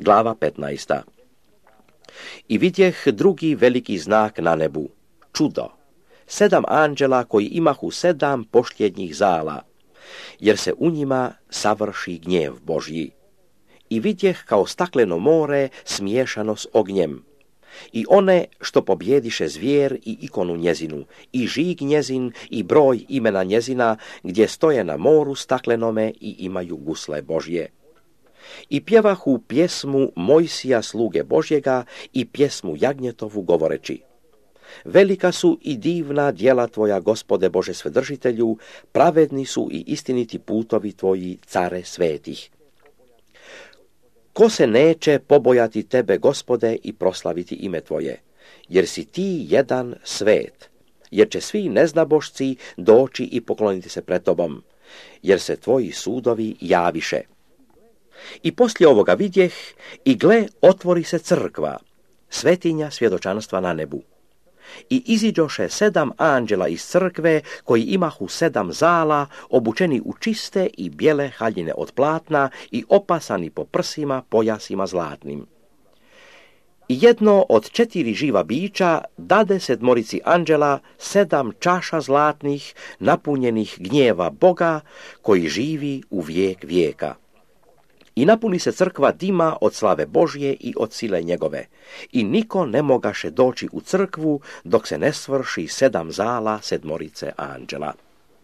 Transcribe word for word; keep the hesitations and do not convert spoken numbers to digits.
Glava petnaesta. I vidjeh drugi veliki znak na nebu, čudo, sedam anđela koji imahu sedam pošljednjih zala, jer se u njima savrši gnjev Božji. I vidjeh kao stakleno more smiješano s ognjem, i one što pobjediše zvijer i ikonu njezinu, i žig njezin i broj imena njezina, gdje stoje na moru staklenome i imaju gusle Božje. I pjevahu pjesmu Mojsija sluge Božjega i pjesmu Jagnjetovu govoreći: velika su i divna djela tvoja, Gospode Bože Svedržitelju, pravedni su i istiniti putovi tvoji, care svetih. Ko se neće pobojati tebe, Gospode, i proslaviti ime tvoje, jer si ti jedan svet, jer će svi neznabošci doći i pokloniti se pred tobom, jer se tvoji sudovi javiše. I poslije ovoga vidjeh, i gle, otvori se crkva, svetinja svjedočanstva na nebu. I iziđoše sedam anđela iz crkve, koji imahu sedam zala, obučeni u čiste i bijele haljine od platna i opasani po prsima pojasima zlatnim. I jedno od četiri živa bića dade sedmorici anđela sedam čaša zlatnih, napunjenih gnjeva Boga, koji živi u vijek vijeka. I napuni se crkva dima od slave Božje i od sile njegove, i niko ne mogaše doći u crkvu dok se ne svrši sedam zala sedmorice anđela.